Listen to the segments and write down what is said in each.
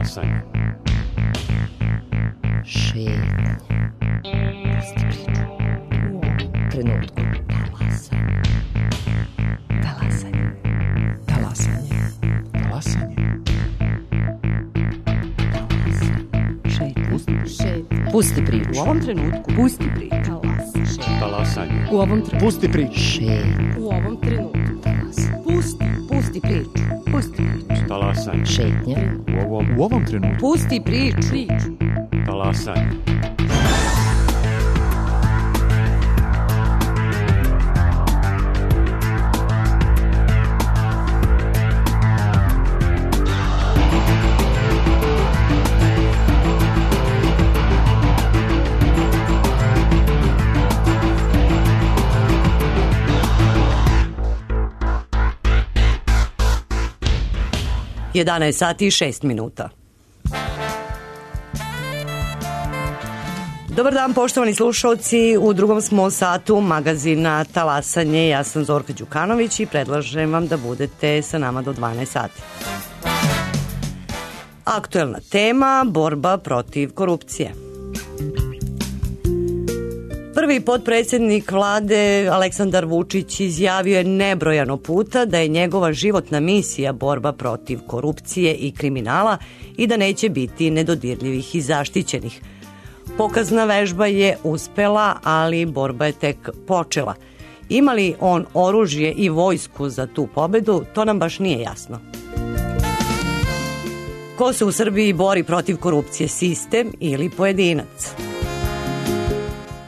Talasanje. Šetnja. Pusti priču. U ovom trenutku. Talasanje. Talasanje. Talasanje. Šetnja. Pusti priču. U ovom trenutku. Pusti priču. Talasanje. U ovom trenutku. Pusti priču. Šetnja. U ovom trenutku. Pusti priču. Pusti priču. Talasanje. Šetnja. U ovom trenutku. Pusti priču. Talasanje. Jedanaest sati i 6 minuta. Dobar dan, poštovani slušalci. U drugom smo satu magazina Talasanje. Ja sam Zorka Đukanović i predlažem vam da budete sa nama do 12 sati. Aktuelna tema: borba protiv korupcije. Prvi potpredsjednik vlade Aleksandar Vučić izjavio je nebrojano puta da je njegova životna misija borba protiv korupcije i kriminala i da neće biti nedodirljivih i zaštićenih. Pokazna vežba je uspela, ali borba je tek počela. Ima li on oružje i vojsku za tu pobedu, to nam baš nije jasno. Ko se u Srbiji bori protiv korupcije, sistem ili pojedinac?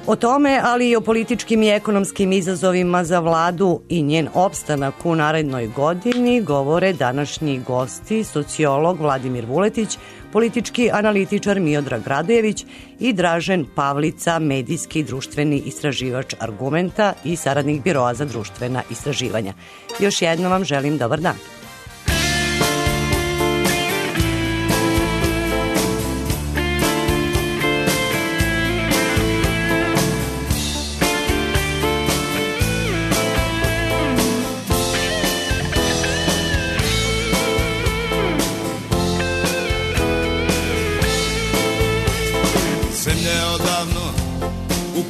O tome, ali i o političkim i ekonomskim izazovima za vladu i njen opstanak u narednoj godini govore današnji gosti, sociolog Vladimir Vuletić, politički analitičar Miodrag Radojević i Dražen Pavlica, medijski i društveni istraživač Argumenta i saradnik Biroa za društvena istraživanja. Još jednom vam želim dobar dan.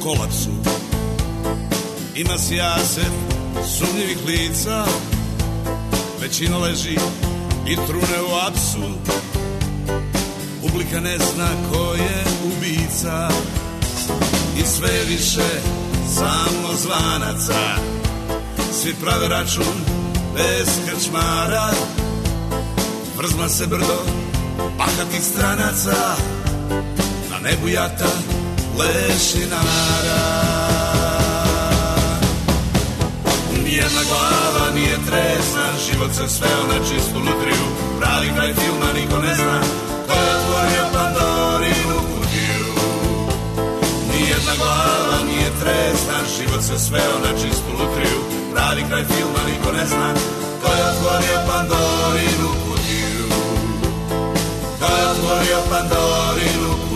Kolapsu. Ima sijaset sumnjivih lica, većina leži i trune u apsu. Publika ne zna ko je ubica i sve više samo zvanaca. Svi prave račun bez krčmara, vrzma se brdo bahatih stranaca, na nebu jata lešinara. Nijedna glava nije tresna, život se sveo na čistu lutriju. Pravi kraj filma niko ne zna ko je otvorio Pandorinu kutiju. Nijedna glava nije tresna, život se sveo na čistu lutriju. Pravi kraj filma niko ne zna ko je otvorio Pandorinu kutiju. Ko je otvorio Pandorinu kutiju.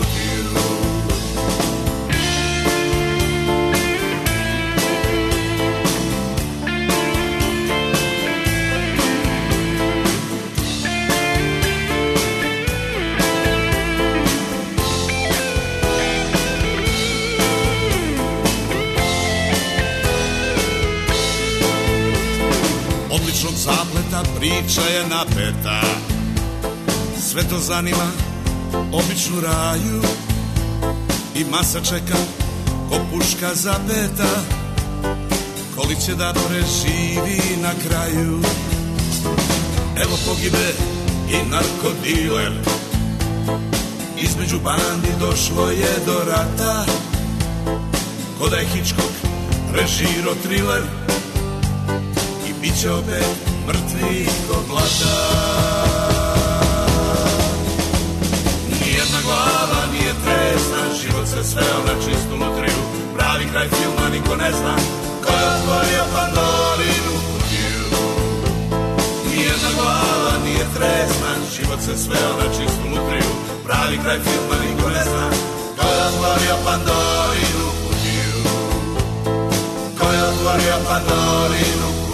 Zapleta, priča je napeta, sve to zanima običnu raju i masa čeka ko puška zapeta, koli će da preživi na kraju. Evo pogibe i narkodiler, između bandi došlo je do rata, ko da je Hitchcock režirao thriller i bit će opet mrtvi ko blata. Nijedna glava nije tresna, život se sveo na čistu lutriju. Pravi kraj filma niko ne zna ko je otvorio Pandorinu kutiju. Nijedna glava nije tresna, život se sveo na čistu lutriju. Pravi kraj filma niko ne zna ko je otvorio Pandorinu kutiju. Ko je otvorio Pandorinu kutiju.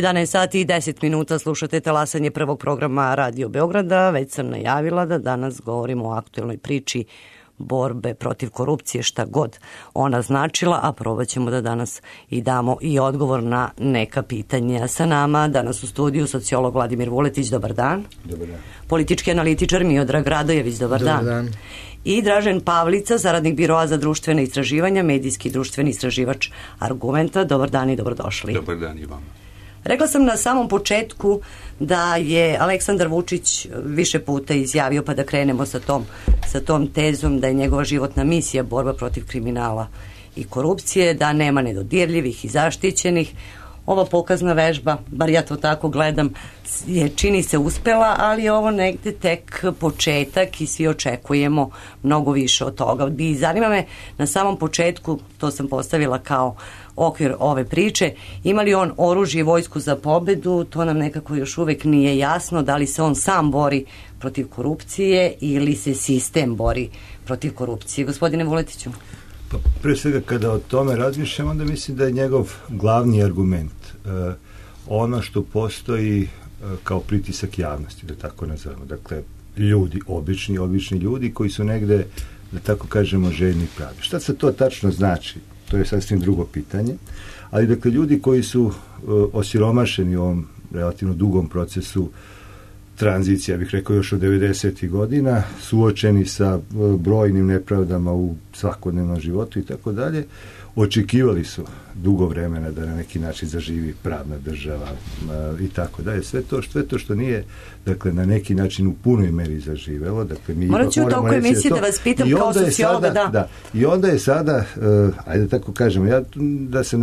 11 sati i 10 minuta slušate talasanje prvog programa Radio Beograda. Već sam najavila da danas govorimo o aktuelnoj priči borbe protiv korupcije, šta god ona značila, a probat ćemo da danas i damo i odgovor na neka pitanja. Sa nama danas u studiju sociolog Vladimir Vuletić, dobar dan. Dobar dan. Politički analitičar Miodrag Radojević, dobar dan. I Dražen Pavlica, saradnik Biroa za društvene istraživanja, medijski i društveni istraživač Argumenta. Dobar dan i dobrodošli. Dobar dan i vama. Rekla sam na samom početku da je Aleksandar Vučić više puta izjavio, pa da krenemo sa tom tezom, da je njegova životna misija borba protiv kriminala i korupcije, da nema nedodirljivih i zaštićenih. Ova pokazna vežba, bar ja to tako gledam, je čini se uspela, ali je ovo negde tek početak i svi očekujemo mnogo više od toga. I zanima me na samom početku, to sam postavila kao okvir ove priče, ima li on oružje i vojsku za pobedu, to nam nekako još uvek nije jasno, da li se on sam bori protiv korupcije ili se sistem bori protiv korupcije. Gospodine Vuletiću. Pa pre svega kada o tome razmišljam, onda mislim da je njegov glavni argument ono što postoji kao pritisak javnosti, da tako nazovemo. Dakle, ljudi, obični ljudi koji su negde, da tako kažemo, željni pravde. Šta se to tačno znači? To je sasvim drugo pitanje. Ali, dakle, ljudi koji su osiromašeni u ovom relativno dugom procesu tranzicija, bih rekao još od 90. godina, suočeni sa brojnim nepravdama u svakodnevnom životu i tako dalje, očekivali su dugo vremena da na neki način zaživi pravna država i tako dalje. Sve to što nije, dakle, na neki način u punoj meri zaživelo. Dakle, mi morat ću u toku emisije da vas pitam kao sociologa, da. I onda je sada, ajde tako kažemo, ja da se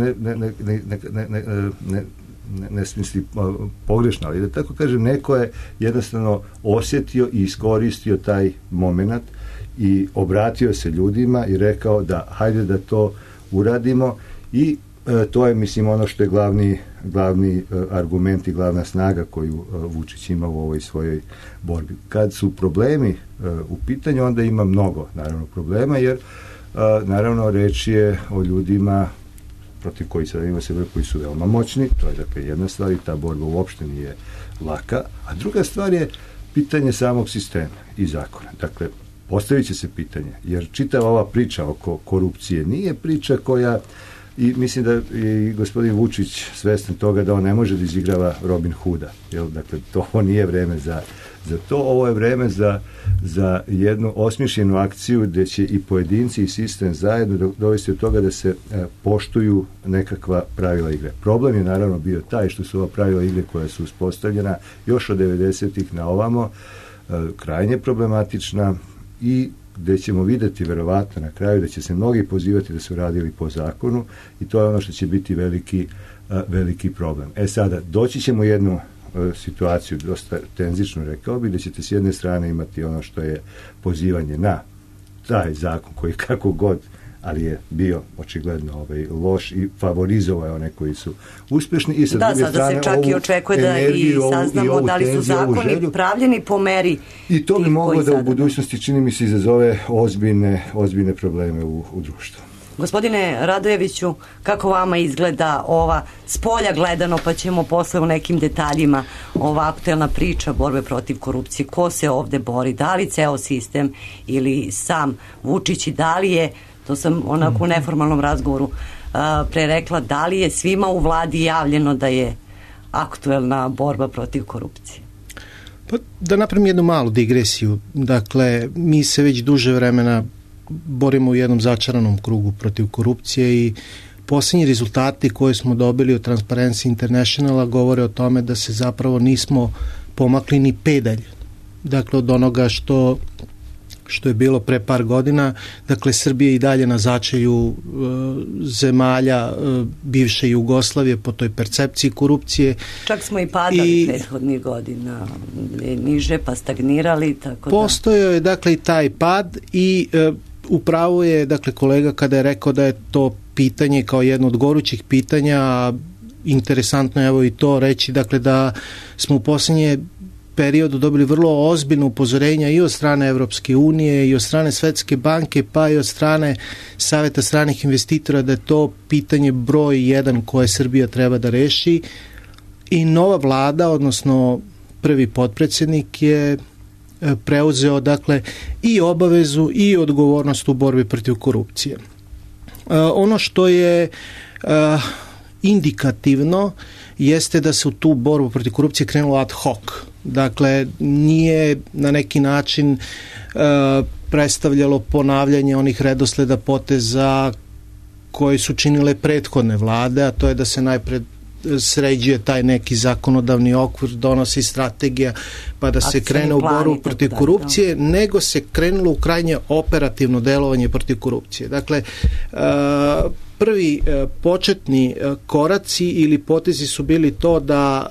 ne smisli pogrešno, ali da tako kažem, neko je jednostavno osjetio i iskoristio taj moment i obratio se ljudima i rekao da hajde da to uradimo i to je, mislim, ono što je glavni argument i glavna snaga koju Vučić ima u ovoj svojoj borbi. Kad su problemi u pitanju, onda ima mnogo, naravno, problema, jer naravno reč je o ljudima protiv koji koji su veoma moćni, to je dakle jedna stvar i ta borba uopšte nije laka, a druga stvar je pitanje samog sistema i zakona. Dakle, postavit će se pitanje, jer čitava ova priča oko korupcije nije priča koja, i mislim da je gospodin Vučić svestan toga da on ne može da izigrava Robin Hooda, jer dakle to nije vreme za to, ovo je vreme za jednu osmišljenu akciju gde će i pojedinci i sistem zajedno dovesti od toga da se poštuju nekakva pravila igre. Problem je naravno bio taj što su ova pravila igre koja su uspostavljena još od 90-ih na ovamo krajnje problematična i gde ćemo videti verovatno na kraju da će se mnogi pozivati da su radili po zakonu i to je ono što će biti veliki problem. Sada, doći ćemo jednu situaciju dosta tenzično, rekao bi, da ćete s jedne strane imati ono što je pozivanje na taj zakon koji kako god, ali je bio očigledno loš i favorizovao je one koji su uspešni i sa druge strane sada se čak i očekuje da i saznamo da li su zakoni pravljeni po meri i to bi moglo da u budućnosti, čini mi se, izazove ozbiljne probleme u društvu. Gospodine Radojeviću, kako vama izgleda ova spolja gledano, pa ćemo posle u nekim detaljima ova aktuelna priča borbe protiv korupcije, ko se ovde bori, da li ceo sistem ili sam Vučić i da li je, to sam onako u neformalnom razgovoru pre rekla, da li je svima u vladi javljeno da je aktuelna borba protiv korupcije? Pa da napravim jednu malu digresiju. Dakle, mi se već duže vremena borimo u jednom začaranom krugu protiv korupcije i posljednji rezultati koje smo dobili od Transparency Internationala govore o tome da se zapravo nismo pomakli ni pedalj. Dakle, od onoga što je bilo pre par godina. Dakle, Srbija i dalje na začelju zemalja bivše Jugoslavije po toj percepciji korupcije. Čak smo i padali prethodnih godina niže, pa stagnirali. Tako postojao je, dakle, i taj pad i upravo je, dakle, kolega kada je rekao da je to pitanje kao jedno od gorućih pitanja, interesantno je evo i to reći, dakle, da smo u posljednje periodu dobili vrlo ozbiljno upozorenja i od strane Evropske unije i od strane Svetske banke pa i od strane Saveta stranih investitora da je to pitanje broj 1 koje Srbija treba da reši I nova vlada, odnosno prvi potpredsjednik je preuzeo dakle i obavezu i odgovornost u borbi protiv korupcije. Ono što je indikativno jeste da se u tu borbu protiv korupcije krenulo ad hoc. Dakle, nije na neki način predstavljalo ponavljanje onih redosleda poteza koji su činile prethodne vlade, a to je da se najpred sređuje taj neki zakonodavni okvir, donosi strategija, pa da se krene u borbu protiv korupcije, nego se krenulo u krajnje operativno delovanje protiv korupcije. Dakle, prvi početni koraci ili potezi su bili to da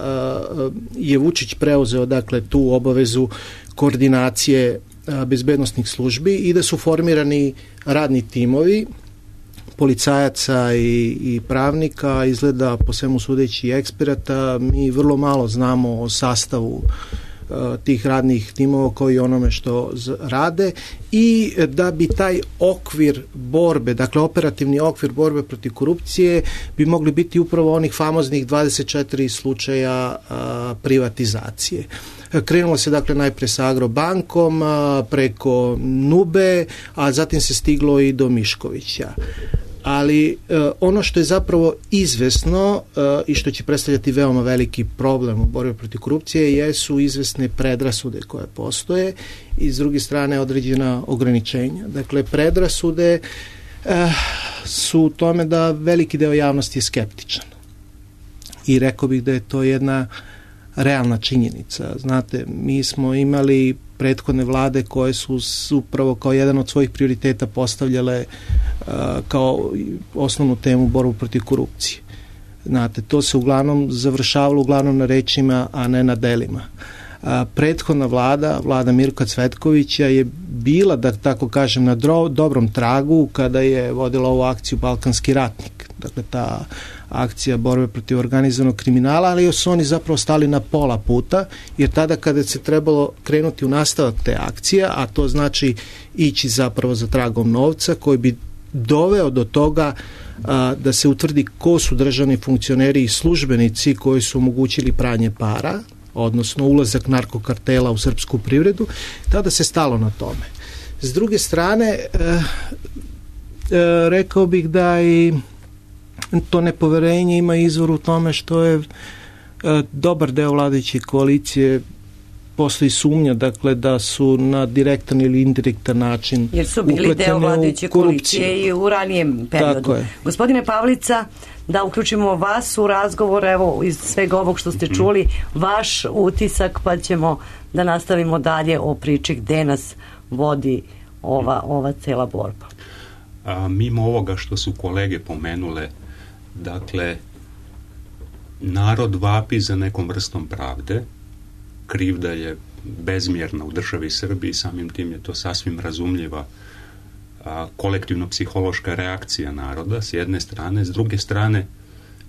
je Vučić preuzeo dakle tu obavezu koordinacije bezbednosnih službi i da su formirani radni timovi policajaca i pravnika, izgleda po svemu sudeći i eksperata. Mi vrlo malo znamo o sastavu tih radnih timova kao i onome što rade, i da bi taj okvir borbe, dakle operativni okvir borbe protiv korupcije bi mogli biti upravo onih famoznih 24 slučaja privatizacije. Krenulo se dakle najpre sa Agrobankom, preko Nube, a zatim se stiglo i do Miškovića. Ali ono što je zapravo izvesno i što će predstavljati veoma veliki problem u borbi protiv korupcije jesu izvesne predrasude koje postoje i s druge strane određena ograničenja. Dakle, predrasude su u tome da veliki deo javnosti je skeptičan. I rekao bih da je to jedna realna činjenica. Znate, mi smo imali prethodne vlade koje su upravo kao jedan od svojih prioriteta postavljale kao osnovnu temu borbu protiv korupcije. Znate, to se uglavnom završavalo uglavnom na rečima, a ne na delima. Prethodna vlada Mirka Cvetkovića je bila, da tako kažem, na dobrom tragu kada je vodila ovu akciju Balkanski ratnik. Dakle, ta akcija borbe protiv organizovanog kriminala, ali su oni zapravo stali na pola puta, jer tada kada se trebalo krenuti u nastavak te akcije, a to znači ići zapravo za tragom novca koji bi doveo do toga da se utvrdi ko su državni funkcioneri i službenici koji su omogućili pranje para, odnosno ulazak narkokartela u srpsku privredu, tada se stalo na tome. S druge strane, rekao bih da i to nepoverenje ima izvor u tome što je dobar deo vladajuće koalicije, postoji sumnja, dakle, da su na direktan ili indirektan način jer su bili deo vladajuće koalicije i u ranijem periodu. Gospodine Pavlica, da uključimo vas u razgovor, evo, iz svega ovog što ste čuli, vaš utisak, pa ćemo da nastavimo dalje o priči gde nas vodi ova cela borba. Mimo ovoga što su kolege pomenule, dakle, narod vapi za nekom vrstom pravde, krivda je bezmjerna u državi Srbiji, samim tim je to sasvim razumljiva kolektivno-psihološka reakcija naroda s jedne strane, s druge strane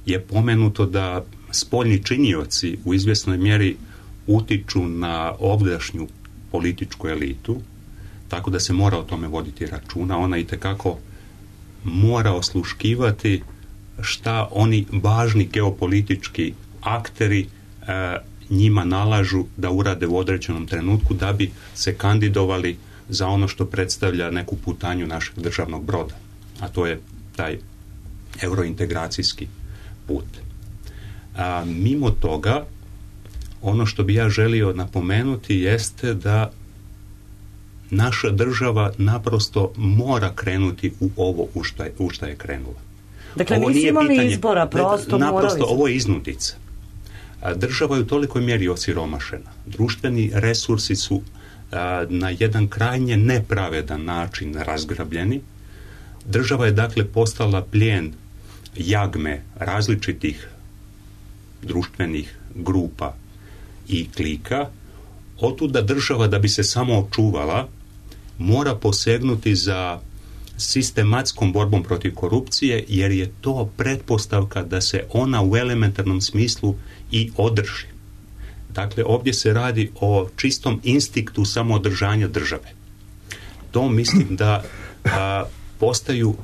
je pomenuto da spoljni činioci u izvjesnoj mjeri utiču na ovdašnju političku elitu, tako da se mora o tome voditi računa. Ona itekako mora osluškivati šta oni važni geopolitički akteri njima nalažu da urade u određenom trenutku da bi se kandidovali za ono što predstavlja neku putanju našeg državnog broda, a to je taj eurointegracijski put. Mimo toga, ono što bi ja želio napomenuti jeste da naša država naprosto mora krenuti u ovo u šta je krenula. Dakle, nisi imali izbora, prosto naprosto ovo je iznudica. Država je u tolikoj mjeri osiromašena. Društveni resursi su na jedan krajnje nepravedan način razgrabljeni. Država je dakle postala plijen jagme različitih društvenih grupa i klika. Otuda država, da bi se samo očuvala, mora posegnuti za sistematskom borbom protiv korupcije, jer je to pretpostavka da se ona u elementarnom smislu i održi. Dakle, ovdje se radi o čistom instinktu samoodržanja države. To mislim da postaju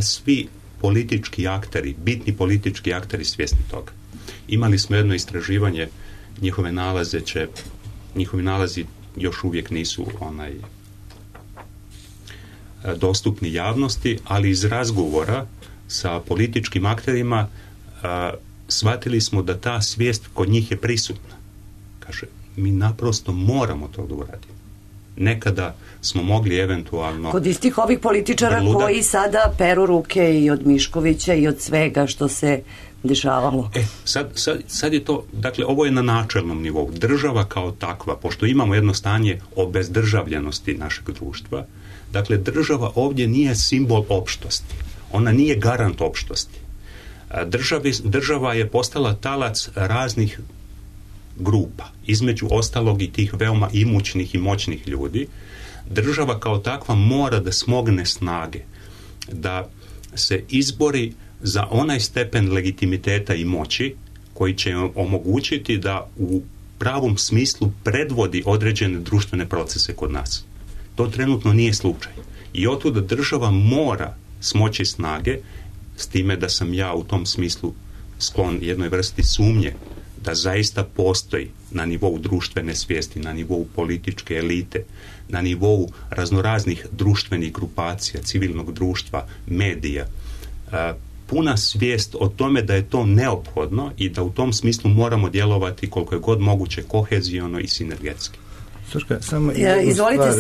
svi politički akteri, bitni politički akteri svjesni toga. Imali smo jedno istraživanje, njihovi nalazi još uvijek nisu dostupni javnosti, ali iz razgovora sa političkim akterima shvatili smo da ta svijest kod njih je prisutna. Kaže, mi naprosto moramo to da uradimo. Nekada smo mogli eventualno... Kod istih ovih političara koji sada peru ruke i od Miškovića i od svega što se dešavalo. Sad je to, dakle, ovo je na načelnom nivou. Država kao takva, pošto imamo jedno stanje obezdržavljenosti našeg društva, dakle, država ovdje nije simbol opštosti. Ona nije garant opštosti. Država je postala talac raznih grupa, između ostalog i tih veoma imućnih i moćnih ljudi. Država kao takva mora da smogne snage, da se izbori za onaj stepen legitimiteta i moći koji će omogućiti da u pravom smislu predvodi određene društvene procese kod nas. To trenutno nije slučaj. I otuda država mora smoći snage, s time da sam ja u tom smislu sklon jednoj vrsti sumnje da zaista postoji na nivou društvene svijesti, na nivou političke elite, na nivou raznoraznih društvenih grupacija, civilnog društva, medija, puna svijest o tome da je to neophodno i da u tom smislu moramo djelovati koliko je god moguće koheziono i sinergetski. Srška, samo izvolite,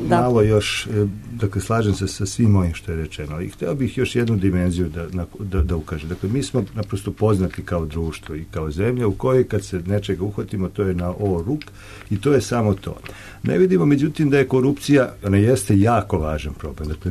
da malo još, dakle, slažem se sa svim ovim što je rečeno, i hteo bih još jednu dimenziju da ukažem. Dakle, mi smo naprosto poznati kao društvo i kao zemlja u kojoj kad se nečega uhvatimo, to je na ovo ruk i to je samo to. Ne vidimo, međutim, da je korupcija, ona jeste jako važan problem, dakle,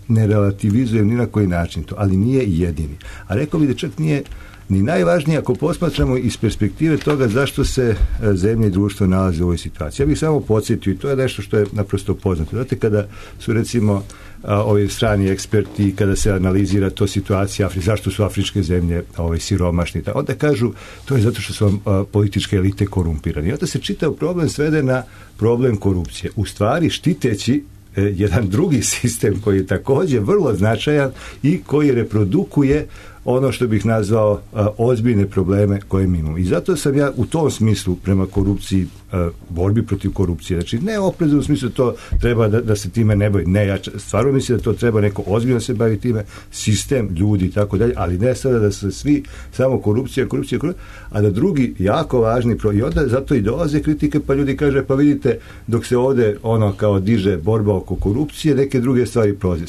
ne relativizujem ni na koji način to, ali nije jedini. A rekao bih da čak nije ni najvažnije ako posmatramo iz perspektive toga zašto se zemlje i društvo nalaze u ovoj situaciji. Ja bih samo podsjetio, i to je nešto što je naprosto poznato. Znate, kada su, recimo, ovi strani eksperti, kada se analizira to situacija, zašto su afričke zemlje siromašni, onda kažu, to je zato što su političke elite korumpirani. I onda se čitav problem svede na problem korupcije. U stvari, štiteći jedan drugi sistem koji je također vrlo značajan i koji reprodukuje ono što bih nazvao ozbiljne probleme koje mi imamo. I zato sam ja u tom smislu prema korupciji, borbi protiv korupcije, znači ne oprezno u smislu to treba da se time ne bavi. Ne, ja stvarno mislim da to treba neko ozbiljno se bavi time, sistem, ljudi i tako dalje, ali ne sada da se svi samo korupcija, a da drugi jako važni i onda zato i dolaze kritike, pa ljudi kaže, pa vidite, dok se ovdje kao diže borba oko korupcije, neke druge stvari prolaze.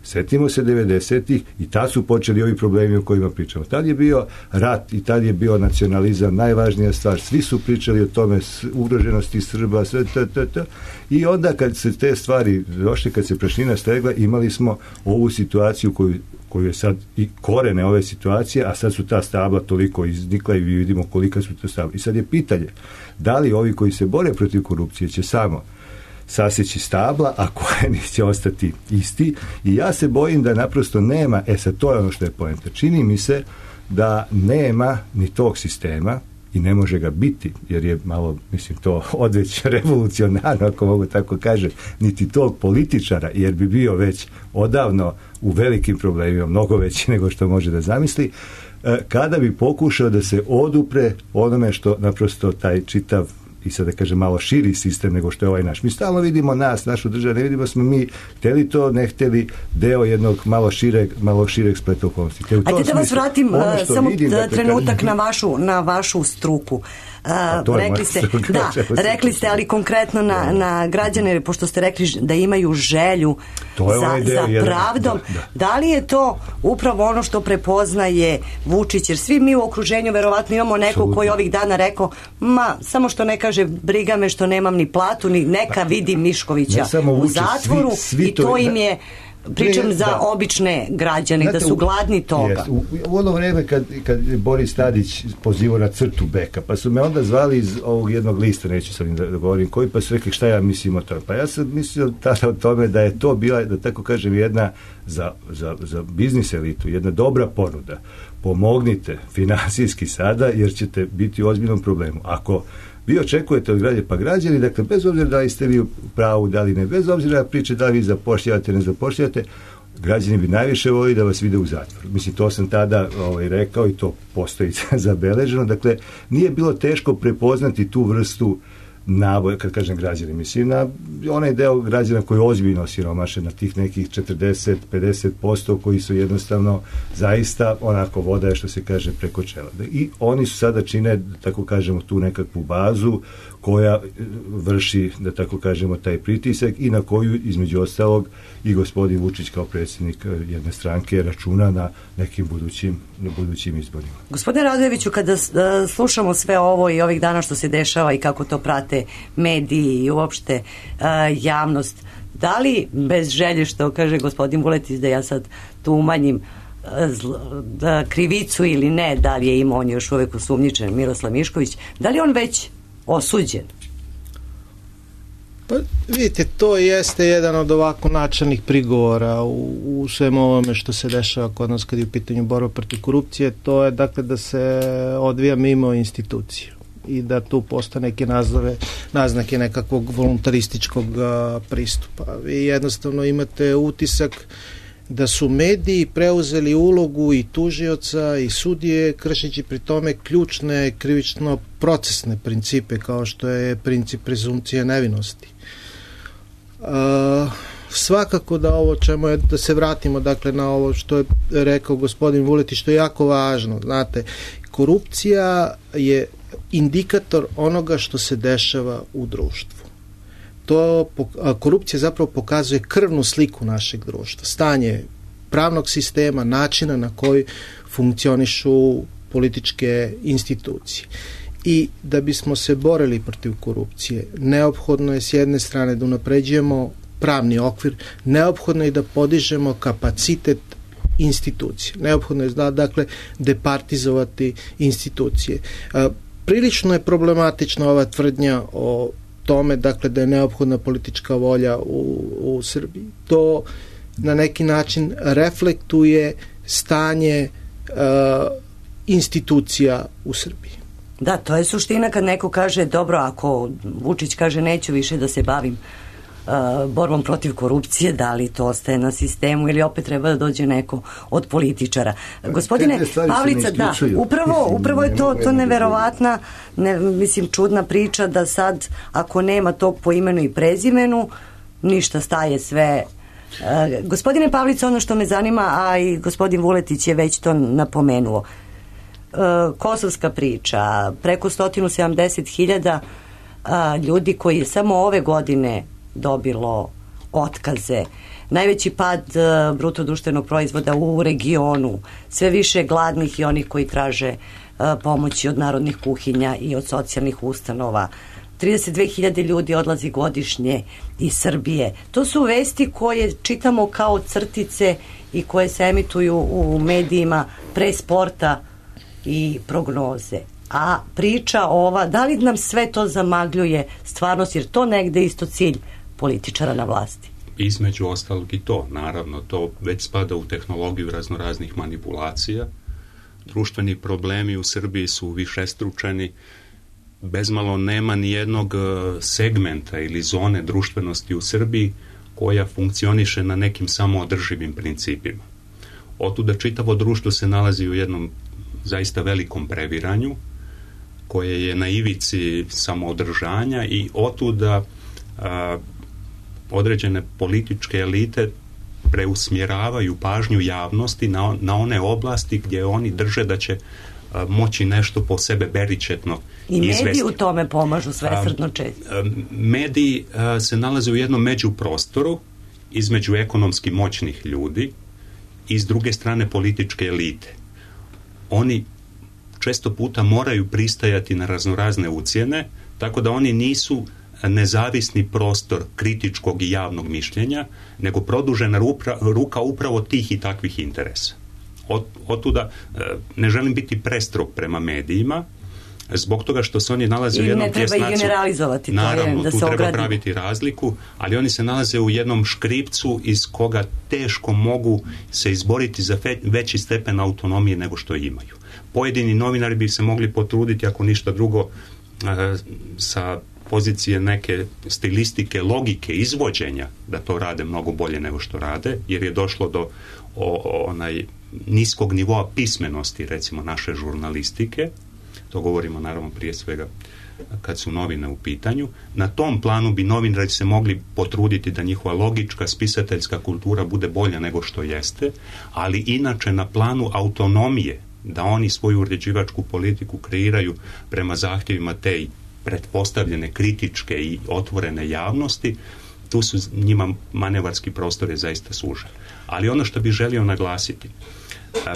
Setimo se 90-ih i tad su počeli ovi problemi o kojima pričamo. Tad je bio rat i tad je bio nacionalizam, najvažnija stvar. Svi su pričali o tome, ugroženosti Srba, sve to. I onda kad se te stvari došle, kad se prašina stegla, imali smo ovu situaciju koju je sad i korene ove situacije, a sad su ta stabla toliko iznikla i vidimo kolika su to stabla. I sad je pitanje, da li ovi koji se bore protiv korupcije će samo saseći stabla, a korijeni će ostati isti, i ja se bojim da naprosto nema, sad to je ono što je poenta. Čini mi se da nema ni tog sistema i ne može ga biti, jer je malo, mislim, to odveć revolucionarno, ako mogu tako kažem, niti tog političara, jer bi bio već odavno u velikim problemima, mnogo veći nego što može da zamisli, kada bi pokušao da se odupre onome što naprosto taj čitav i sad da kažem malo širi sistem nego što je ovaj naš. Mi stalno vidimo našu državu, ne vidimo smo mi htjeli to, ne htjeli deo jednog malo šireg spleta okolnosti. Ajde da vas vratim samo trenutak na vašu struku. Rekli ste, ali konkretno na građane, pošto ste rekli da imaju želju za pravdom. Da li je to upravo ono što prepoznaje Vučić? Jer svi mi u okruženju verovatno imamo nekog koji ovih dana rekao, samo što ne kaže briga me što nemam ni platu, ni neka vidi Miškovića u zatvoru, i to im je, pričam za obične građane, znate, da su gladni toga. U ono vreme kad Boris Tadić pozivao na crtu beka, pa su me onda zvali iz ovog jednog lista, neću sad da govorim koji, pa su rekli šta ja mislim o tome. Pa ja sam mislio tada o tome da je to bila, da tako kažem, jedna za biznis elitu, jedna dobra ponuda. Pomognite finansijski sada, jer ćete biti u ozbiljnom problemu. Ako vi očekujete od građana, pa građani, dakle, bez obzira da li ste vi u pravu, da li ne, bez obzira na priče da li vi zapošljavate, ne zapošljavate, građani bi najviše volili da vas vide u zatvoru. Mislim, to sam tada rekao i to postoji zabeleženo. Dakle, nije bilo teško prepoznati tu vrstu naboja, kad kažem građani, mislim na onaj deo građana koji je ozbiljno siromašen, na tih nekih 40-50% koji su jednostavno zaista onako voda, što se kaže, preko čela. I oni su sada čine, da tako kažemo, tu nekakvu bazu koja vrši, da tako kažemo, taj pritisak i na koju, između ostalog, i gospodin Vučić kao predsjednik jedne stranke računa na nekim budućim izborima. Gospodine Radojeviću, kada slušamo sve ovo i ovih dana što se dešava i kako to prate mediji i uopšte javnost, da li bez želje, što kaže gospodin Vuletić, da ja sad tu umanjim krivicu ili ne, da li je imao, on je još uvek osumnjičen, Miroslav Mišković, da li on već osuđen? Pa vidite, to jeste jedan od ovako načelnih prigovora u svemu ovome što se dešava kod nas kad je u pitanju borba protiv korupcije, to je dakle da se odvija mimo institucija i da tu postoje neke naznake nekakvog voluntarističkog pristupa. Vi jednostavno imate utisak da su mediji preuzeli ulogu i tužioca i sudije, kršeći pri tome ključne krivično-procesne principe, kao što je princip prezumpcije nevinosti. Svakako da ovo čemu je, da se vratimo dakle na ovo što je rekao gospodin Vuletić, što je jako važno. Znate, korupcija je indikator onoga što se dešava u društvu. Korupcija zapravo pokazuje krvnu sliku našeg društva, stanje pravnog sistema, načina na koji funkcionišu političke institucije. I da bismo se borili protiv korupcije, neophodno je s jedne strane da unapređujemo pravni okvir, neophodno je da podižemo kapacitet institucije. Neophodno je dakle departizovati institucije. Prilično je problematična ova tvrdnja o tome, dakle, da je neophodna politička volja u Srbiji. To na neki način reflektuje stanje institucija u Srbiji. Da, to je suština kad neko kaže, dobro, ako Vučić kaže neću više da se bavim borbom protiv korupcije, da li to ostaje na sistemu ili opet treba da dođe neko od političara. Gospodine Pavlica, da, upravo je to neverovatna, čudna priča da sad, ako nema tog po imenu i prezimenu, ništa, staje sve. Gospodine Pavlica, ono što me zanima, a i gospodin Vuletić je već to napomenuo, kosovska priča, preko 170.000 ljudi koji je samo ove godine dobilo otkaze, najveći pad bruto društvenog proizvoda u regionu, sve više gladnih i onih koji traže pomoći od narodnih kuhinja i od socijalnih ustanova, 32.000 ljudi odlazi godišnje iz Srbije. To su vesti koje čitamo kao crtice i koje se emituju u medijima pre sporta i prognoze. A priča ova, da li nam sve to zamagljuje stvarnost, jer to negde isto cilj političara na vlasti? Između ostalog i to, naravno, to već spada u tehnologiju raznoraznih manipulacija. Društveni problemi u Srbiji su višestručeni, bezmalo nema ni jednog segmenta ili zone društvenosti u Srbiji koja funkcioniše na nekim samoodrživim principima. Otuda čitavo društvo se nalazi u jednom zaista velikom previranju koje je na ivici samoodržanja i otuda određene političke elite preusmjeravaju pažnju javnosti na one oblasti gdje oni drže da će moći nešto po sebe beričetno izvesti. I mediji u tome pomažu svesrdno često. Mediji se nalaze u jednom međuprostoru između ekonomski moćnih ljudi i s druge strane političke elite. Oni često puta moraju pristajati na raznorazne ucjene, tako da oni nisu nezavisni prostor kritičkog i javnog mišljenja, nego produžena ruka upravo tih i takvih interesa. Otuda ne želim biti prestrog prema medijima, zbog toga što se oni nalaze u jednom tjesnacu. I ne treba ih generalizovati. Naravno, da tu se treba ogradi. praviti razliku, ali oni se nalaze u jednom škripcu iz koga teško mogu se izboriti za veći stepen autonomije nego što imaju. Pojedini novinari bi se mogli potruditi, ako ništa drugo, sa pozicije neke stilistike, logike, izvođenja, da to rade mnogo bolje nego što rade, jer je došlo do niskog nivoa pismenosti, recimo, naše žurnalistike. To govorimo naravno prije svega kad su novine u pitanju. Na tom planu bi novinari se mogli potruditi da njihova logička, spisateljska kultura bude bolja nego što jeste, ali inače na planu autonomije, da oni svoju uređivačku politiku kreiraju prema zahtjevima te pretpostavljene kritičke i otvorene javnosti, tu su njima manevarski prostor je zaista sužen. Ali ono što bih želio naglasiti,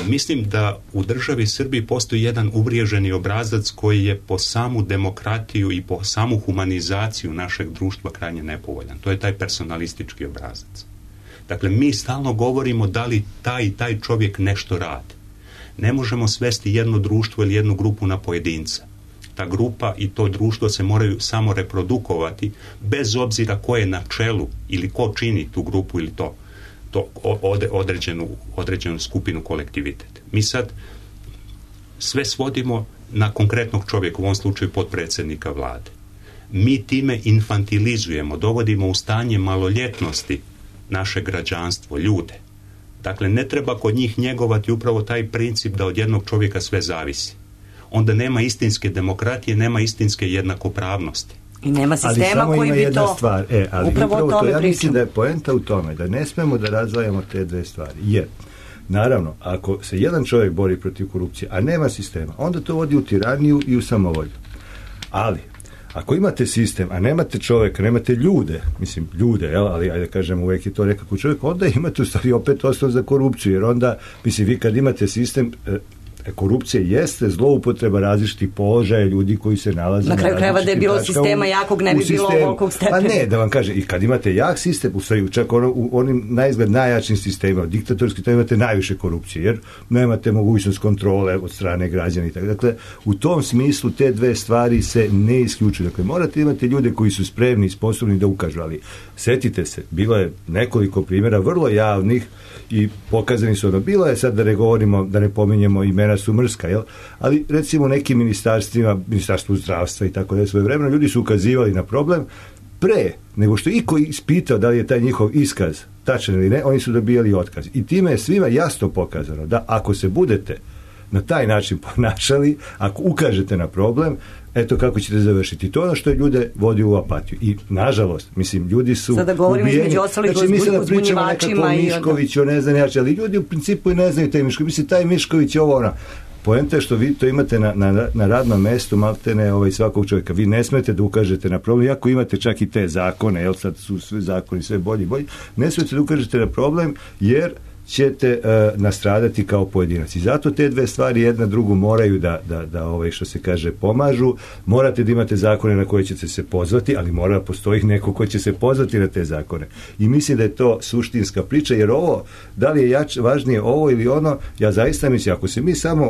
mislim da u državi Srbiji postoji jedan uvriježeni obrazac koji je po samu demokratiju i po samu humanizaciju našeg društva krajnje nepovoljan. To je taj personalistički obrazac. Dakle, mi stalno govorimo da li taj čovjek nešto radi. Ne možemo svesti jedno društvo ili jednu grupu na pojedinca. Ta grupa i to društvo se moraju samo reprodukovati bez obzira ko je na čelu ili ko čini tu grupu ili to određenu skupinu, kolektivitet. Mi sad sve svodimo na konkretnog čovjeka, u ovom slučaju potpredsjednika vlade. Mi time infantilizujemo, dovodimo u stanje maloljetnosti naše građanstvo, ljude. Dakle, ne treba kod njih njegovati upravo taj princip da od jednog čovjeka sve zavisi. Onda nema istinske demokratije, nema istinske jednakopravnosti. I nema sistema koji bi to stvar. Ali upravo o tome ja mislim da je poenta u tome da ne smemo da razdvajamo te dve stvari. Jer, naravno, ako se jedan čovjek bori protiv korupcije, a nema sistema, onda to vodi u tiraniju i u samovolju. Ali, ako imate sistem, a nemate čovjeka, nemate ljude, ali ajde kažem, uvijek je to nekako čovjek, onda imate u stvari opet osnov za korupciju, jer onda, vi kad imate sistem, korupcija jeste zloupotreba različitih položaja ljudi koji se nalaze na kraju krajeva da je bilo sistema jakog ne bi bilo ovolikog stepena. Pa ne, da vam kažem, i kad imate jak sistem, u stvari čak u onim naizgled najjačim sistemima, diktatorski, to imate najviše korupcije, jer nemate mogućnost kontrole od strane građana i tako. Dakle, u tom smislu te dve stvari se ne isključuju. Dakle, morate imati ljude koji su spremni i sposobni da ukažu, ali setite se, bilo je nekoliko primjera vrlo javnih i pokazani su bilo je sad da ne govorimo, da ne pominjemo imena su mrska, jel? Ali recimo nekim ministarstvima, ministarstvu zdravstva i tako da svoje vremena, ljudi su ukazivali na problem pre nego što iko ispitao da li je taj njihov iskaz tačan ili ne, oni su dobijali otkaz. I time je svima jasno pokazano da ako se budete na taj način ponašali, ako ukažete na problem, eto kako ćete završiti. To je ono što je ljude vodi u apatiju. I, nažalost, ljudi su sada govorimo između ostalih uzbunjivačima i Miškoviću, ne znam ali ljudi u principu i ne znaju taj Mišković. Taj Mišković je ovo ona. Poenta je što vi to imate na radnom mestu, maltene svakog čovjeka. Vi ne smete da ukažete na problem, iako imate čak i te zakone, jel sad su sve zakoni sve bolji, ne smete da ukažete na problem, jer ćete nastradati kao pojedinac. I zato te dve stvari jedna drugu moraju da što se kaže pomažu. Morate da imate zakone na koje ćete se pozvati, ali mora da postoji neko ko će se pozvati na te zakone. I mislim da je to suštinska priča, jer ovo, da li je važnije ovo ili ono, ja zaista mislim, ako se mi samo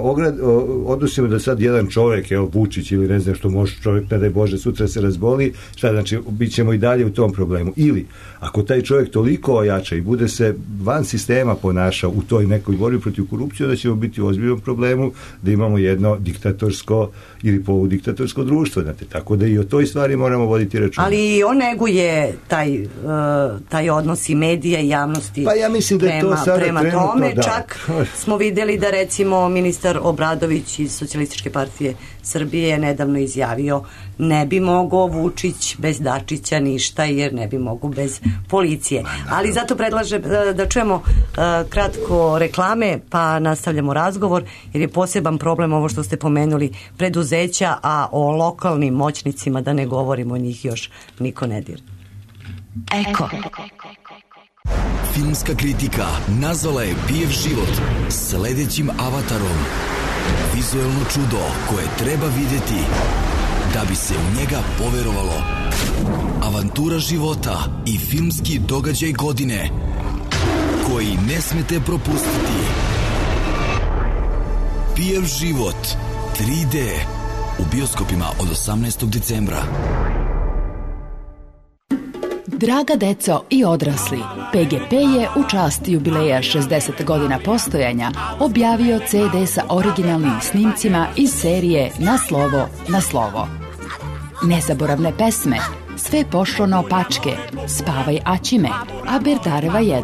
odnosimo da sad jedan čovjek, Vučić ili ne znam što može čovjek, ne daj Bože, sutra se razboli, šta znači, bit ćemo i dalje u tom problemu. Ili, ako taj čovjek toliko ojača i bude se van sistema ponašao u toj nekoj borbi protiv korupcije, da ćemo biti u ozbiljnom problemu da imamo jedno diktatorsko ili poludiktatorsko društvo. Znate, tako da i o toj stvari moramo voditi računa. Ali on neguje taj odnos i medija i javnosti. Pa ja mislim da je to sada prema tome. Da. Čak smo vidjeli da recimo ministar Obradović iz Socijalističke partije Srbije je nedavno izjavio ne bi mogao Vučić bez Dačića ništa, jer ne bi mogao bez policije. Ali zato predlažem da čujemo kratko reklame, pa nastavljamo razgovor, jer je poseban problem ovo što ste pomenuli, preduzeća, a o lokalnim moćnicima da ne govorimo, njih još niko ne dir. Eko. Filmska kritika nazvala je Pijev život sledećim avatarom. Vizuelno čudo koje treba vidjeti da bi se u njega poverovalo. Avantura života i filmski događaj godine koji ne smete propustiti. Pijev život 3D u bioskopima od 18. decembra. Draga deco i odrasli, PGP je u čast jubileja 60 godina postojanja objavio CD sa originalnim snimcima iz serije Na slovo, na slovo. Nezaboravne pesme, Sve pošlo naopačke, Spavaj Aćime, A Berdareva 1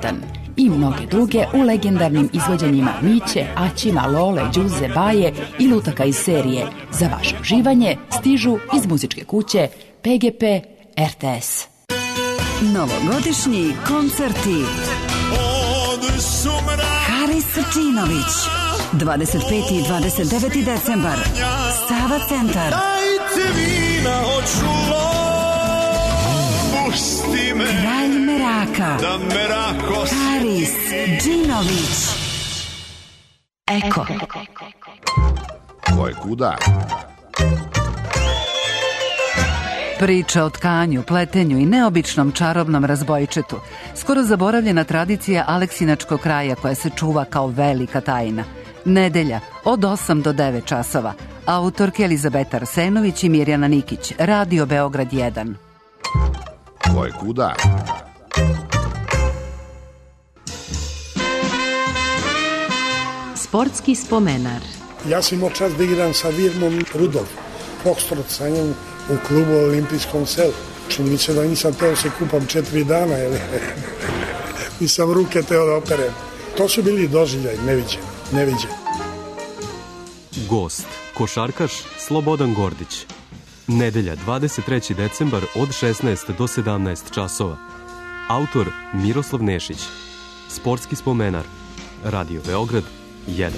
i mnoge druge u legendarnim izvođenjima Miće, Aćima, Lole, Đuze, Baje i lutaka iz serije. Za vaše uživanje stižu iz muzičke kuće PGP RTS. Novogodišnji koncerti Haris Srčinović 25. i 29. decembar Sava centar. Kralj Meraka Haris Džinović. Eko. Ko je kuda? Priča o tkanju, pletenju i neobičnom čarobnom razbojčetu. Skoro zaboravljena tradicija Aleksinačkog kraja koja se čuva kao velika tajna. Nedelja od 8 do 9 časova. Autorke Elizabeta Arsenović i Mirjana Nikić. Radio Beograd 1. Ko je kuda? Sportski spomenar. Ja sam imao čast da igram sa Virmom Rudolf, Foxtrot sa njom u klubu Olimpijskom selu. Čini mi se da nisam teo se kupam 4 dana, nisam ruke teo da operem. To su bili doživljaj, neviđeni. Gost, košarkaš Slobodan Gordić. Nedelja, 23. decembar od 16 do 17 časova. Autor Miroslav Nešić. Sportski spomenar. Radio Beograd 1.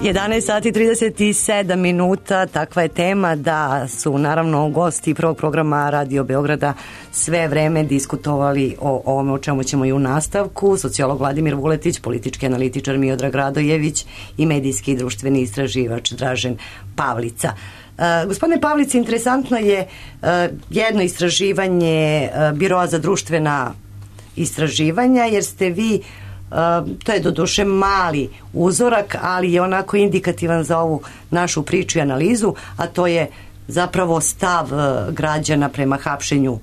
11 sati 37 minuta, takva je tema da su naravno gosti prvog programa Radio Beograda sve vreme diskutovali o ovome o čemu ćemo i u nastavku. Sociolog Vladimir Vuletić, politički analitičar Miodrag Radojević i medijski i društveni istraživač Dražen Pavlica. Gospodine Pavlici, interesantno je jedno istraživanje Biroa za društvena istraživanja, jer ste vi, to je doduše mali uzorak, ali je onako indikativan za ovu našu priču i analizu, a to je zapravo stav građana prema hapšenju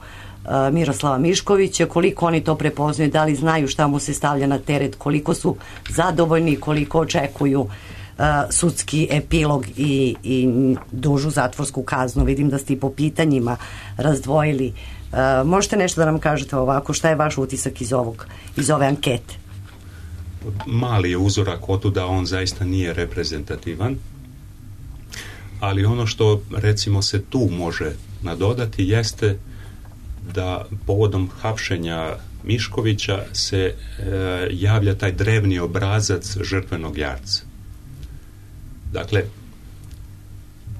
Miroslava Miškovića, koliko oni to prepoznaju, da li znaju šta mu se stavlja na teret, koliko su zadovoljni, koliko očekuju sudski epilog i dužu zatvorsku kaznu. Vidim da ste i po pitanjima razdvojili. Možete nešto da nam kažete ovako, šta je vaš utisak iz ove ankete? Mali je uzorak, otuda on zaista nije reprezentativan, ali ono što recimo se tu može nadodati jeste da povodom hapšenja Miškovića se javlja taj drevni obrazac žrtvenog jarca. Dakle,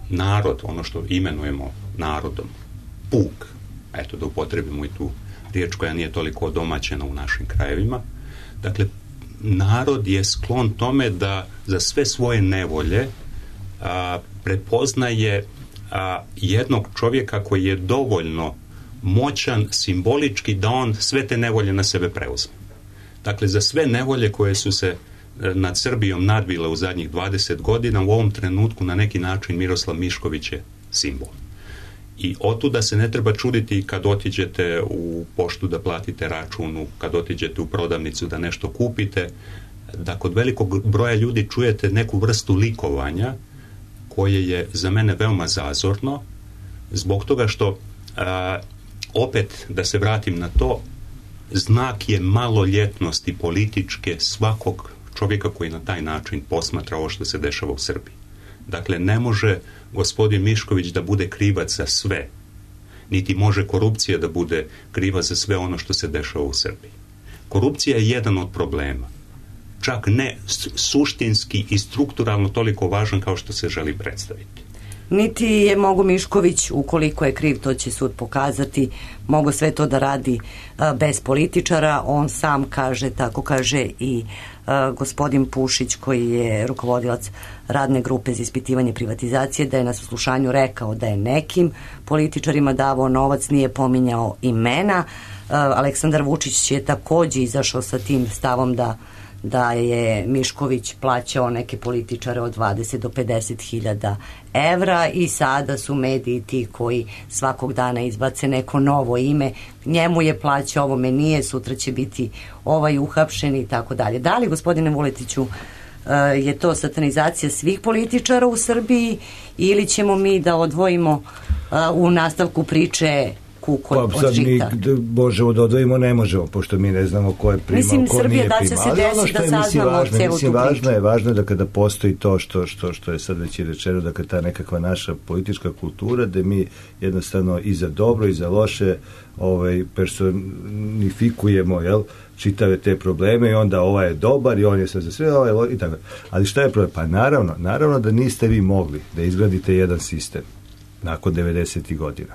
narod, ono što imenujemo narodom, puk, eto da upotrebimo i tu riječ koja nije toliko domaćena u našim krajevima, dakle, narod je sklon tome da za sve svoje nevolje prepoznaje jednog čovjeka koji je dovoljno moćan simbolički da on sve te nevolje na sebe preuzme. Dakle, za sve nevolje koje su se nad Srbijom nadvile u zadnjih 20 godina, u ovom trenutku na neki način Miroslav Mišković je simbol. I otuda se ne treba čuditi kad otiđete u poštu da platite račun, kad otiđete u prodavnicu da nešto kupite, da kod velikog broja ljudi čujete neku vrstu likovanja koje je za mene veoma zazorno, zbog toga što opet da se vratim na to, znak je maloljetnosti političke svakog čovjeka koji na taj način posmatra ovo što se dešava u Srbiji. Dakle, ne može gospodin Mišković da bude krivac za sve, niti može korupcija da bude kriva za sve ono što se dešava u Srbiji. Korupcija je jedan od problema, čak ne suštinski i strukturalno toliko važan kao što se želi predstaviti. Niti je mogo Mišković, ukoliko je kriv, to će sud pokazati, mogo sve to da radi bez političara. On sam kaže, tako kaže i gospodin Pušić, koji je rukovodilac radne grupe za ispitivanje privatizacije, da je na saslušanju rekao da je nekim političarima davao novac, nije pominjao imena. Aleksandar Vučić je takođe izašao sa tim stavom da je Mišković plaćao neke političare od 20 do 50.000 evra i sada su mediji ti koji svakog dana izbace neko novo ime, njemu je plaćao, ovome nije, sutra će biti ovaj uhapšen i tako dalje. Da li, gospodine Vuletiću, je to satanizacija svih političara u Srbiji ili ćemo mi da odvojimo u nastavku priče kukolj od žita? Možemo da odvojimo, ne možemo, pošto mi ne znamo ko je primao, mislim, ko Srbija, nije da će primao. se Ali ono desi što je, da saznamo celu tu priču. Važno je da kada postoji to što je sad već i rečeno, dakle ta nekakva naša politička kultura, da mi jednostavno i za dobro i za loše personifikujemo, čitave te probleme i onda ovaj je dobar i on je sad za sve, i tako. Ali šta je problem? Pa naravno da niste vi mogli da izgradite jedan sistem nakon 90. godina,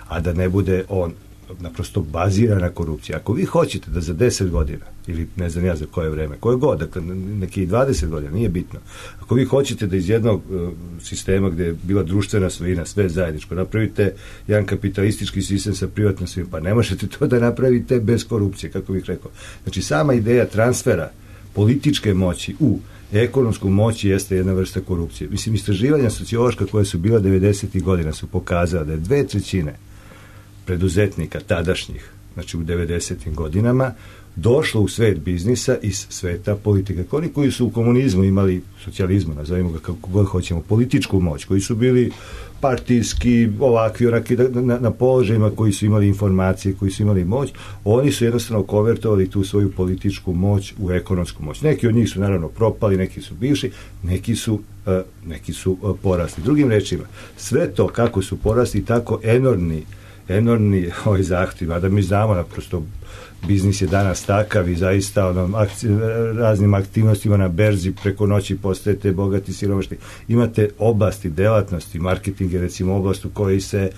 a da ne bude on naprosto baziran na korupciji. Ako vi hoćete da za 10 godina, ili ne znam ja za koje vreme, koje god, dakle neki 20 godina, nije bitno, ako vi hoćete da iz jednog sistema gde je bila društvena svojina, sve zajedničko, napravite jedan kapitalistički sistem sa privatnom svojinom, pa ne možete to da napravite bez korupcije, kako bih rekao. Znači, sama ideja transfera političke moći u ekonomsku moć jeste jedna vrsta korupcije. Mislim, istraživanja sociološka koja su bila 90. godina su pokazala da je 2/3 preduzetnika tadašnjih, znači u 90. godinama, došlo u svet biznisa iz sveta politike. Oni koji su u komunizmu imali, socijalizmu, nazovimo ga kako god hoćemo, političku moć, koji su bili partijski, ovakvi, onaki, na položajima, koji su imali informacije, koji su imali moć, oni su jednostavno konvertovali tu svoju političku moć u ekonomsku moć. Neki od njih su naravno propali, neki su bivši, neki su porasli. Drugim rečima, sve to kako su porasli, tako enormni zahtjev, a da mi znamo naprosto biznis je danas takav i zaista raznim aktivnostima na berzi preko noći postajete bogati, siromašni. Imate oblasti, delatnosti, marketing je recimo oblast u kojoj se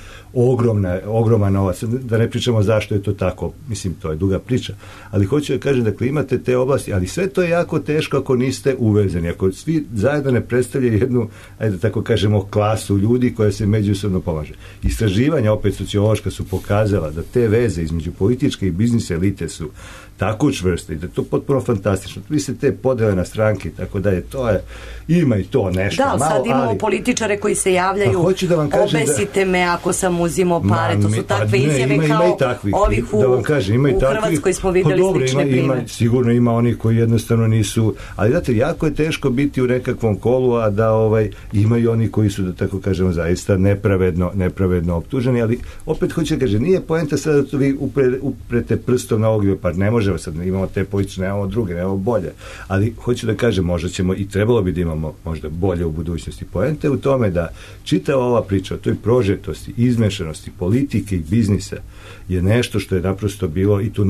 ogroman novac, da ne pričamo zašto je to tako, mislim, to je duga priča, ali hoću da kažem, dakle, imate te oblasti, ali sve to je jako teško ako niste uvezeni, ako svi zajedno ne predstavljaju jednu, ajde da tako kažemo, klasu ljudi koja se međusobno pomaže. Istraživanja, opet sociološka, su pokazala da te veze između političke i biznis elite su tako čvrste i da je to potpuno fantastično. Vi se te podele na stranke i tako dalje, to je, ima i to nešto malo, sad imamo političare koji se javljaju, obesite me ako sam uzimao pare, to su takve izjave kao ovih u Hrvatskoj smo videli slične primere. Sigurno ima onih koji jednostavno nisu, ali znate, jako je teško biti u nekakvom kolu, a da imaju oni koji su, da tako kažemo, zaista nepravedno optuženi, ali opet hoću da kažem, nije poenta sada da vi uprete prstom na ovog, pa ne može sad, imamo te politične, nemamo druge, nemamo bolje, ali hoću da kažem, možda ćemo i trebalo bi da imamo možda bolje u budućnosti. Poenta u tome da čitava ova priča o toj prožetosti, izmešanosti politike i biznisa je nešto što je naprosto bilo i tu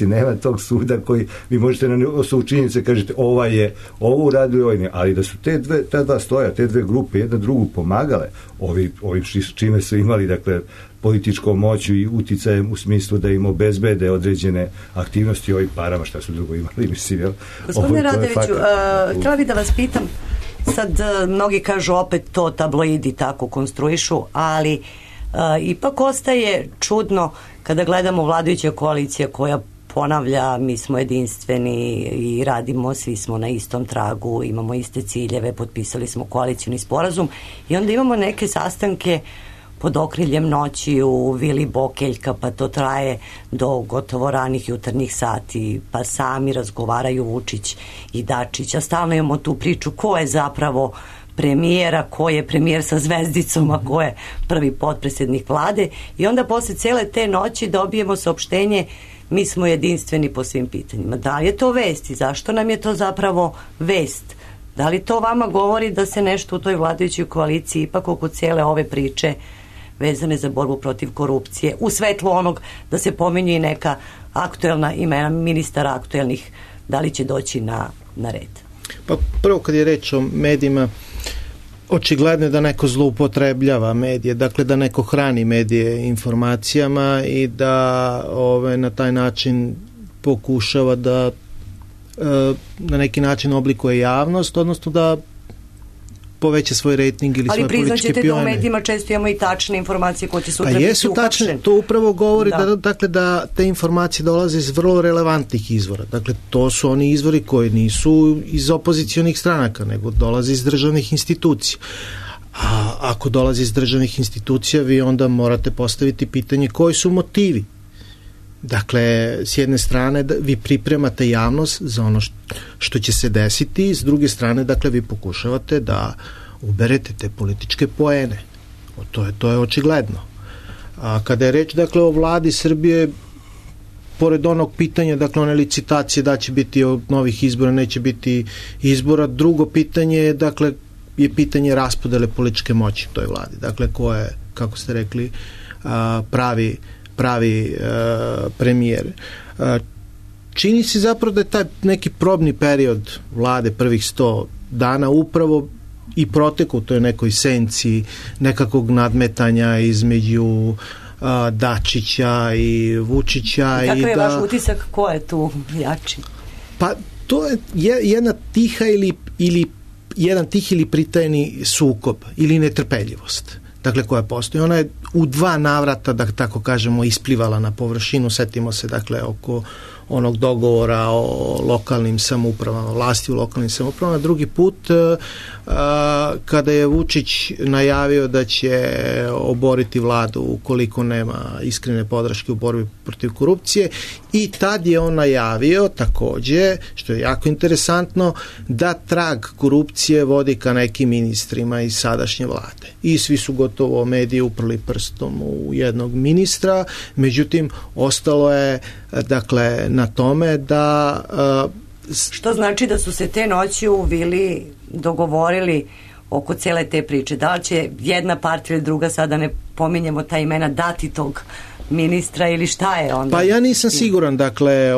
nema tog suda koji vi možete na osnovu činjenice kažete ovo uradili, ovo ne, ali da su ta dva stoja, te dve grupe jedna drugu pomagale, ovi čime su imali, dakle, političkom moću i uticajem u smislu da im obezbede određene aktivnosti ovih parama, šta su drugo imali, mislim, jel? Gospodine Radoviću, htjela bih da vas pitam, sad mnogi kažu opet to tabloidi tako konstruišu, ali ipak ostaje čudno kada gledamo vladajuća koalicija koja ponavlja, mi smo jedinstveni i radimo, svi smo na istom tragu, imamo iste ciljeve, potpisali smo koalicioni sporazum i onda imamo neke sastanke pod okriljem noći u Vili Bokeljka, pa to traje do gotovo ranih jutarnjih sati, pa sami razgovaraju Vučić i Dačić, a stalno imamo tu priču ko je zapravo premijera, ko je premijer sa zvezdicom, a ko je prvi potpredsjednik vlade, i onda posle cele te noći dobijemo saopštenje mi smo jedinstveni po svim pitanjima. Da li je to vest i zašto nam je to zapravo vest? Da li to vama govori da se nešto u toj vladajućoj koaliciji ipak oko cijele ove priče vezane za borbu protiv korupcije, u svetlu onog da se pominju i neka aktuelna imena ministara aktuelnih, da li će doći na red? Pa prvo kad je reč o medijima, očigledno je da neko zloupotrebljava medije, dakle da neko hrani medije informacijama i da na taj način pokušava da na neki način oblikuje javnost, odnosno da poveća svoj rejting ili svoje političke pijone. Ali priznaćete da u medijima često imamo i tačne informacije koje će sutra pa biti jesu tačne, to upravo govori da te informacije dolaze iz vrlo relevantnih izvora. Dakle, to su oni izvori koji nisu iz opozicionih stranaka, nego dolaze iz državnih institucija. A ako dolazi iz državnih institucija, vi onda morate postaviti pitanje koji su motivi. Dakle, s jedne strane vi pripremate javnost za ono što će se desiti, s druge strane, dakle, vi pokušavate da uberete te političke poene. To je očigledno. A kada je reč, dakle, o vladi Srbije, pored onog pitanja, dakle, one licitacije da će biti od novih izbora, neće biti izbora, drugo pitanje je, dakle, je pitanje raspodele političke moći u toj vladi. Dakle, ko je, kako ste rekli, pravi premijer. Čini se zapravo da je taj neki probni period vlade prvih 100 dana upravo i protekao u toj nekoj senci nekakvog nadmetanja između Dačića i Vučića. Kakav je vaš utisak, ko je tu jači? Pa to je jedna tiha ili jedan tih ili pritajni sukob ili netrpeljivost. Dakle, koja postoji. Ona je u 2 navrata, da tako kažemo, isplivala na površinu. Setimo se, dakle, oko onog dogovora o lokalnim samoupravama, vlasti u lokalnim samoupravama. Drugi put, kada je Vučić najavio da će oboriti vladu ukoliko nema iskrene podrške u borbi protiv korupcije, i tad je on najavio takođe, što je jako interesantno, da trag korupcije vodi ka nekim ministrima iz sadašnje vlade. I svi su gotovo mediji uprli prstom u jednog ministra, međutim, ostalo je, dakle, na tome da... Što znači da su se te noći u vili dogovorili oko cele te priče? Da li će jedna partija ili druga, sada ne pominjemo ta imena, dati tog ministra ili šta je onda? Pa ja nisam siguran, dakle,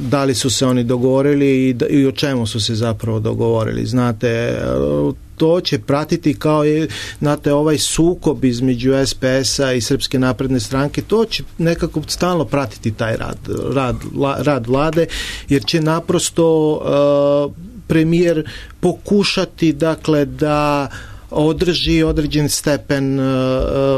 da li su se oni dogovorili i o čemu su se zapravo dogovorili. Znate, to će pratiti kao je, znate, ovaj sukob između SPS-a i Srpske napredne stranke, to će nekako stalno pratiti taj rad vlade, jer će naprosto premijer pokušati, dakle, da održi određen stepen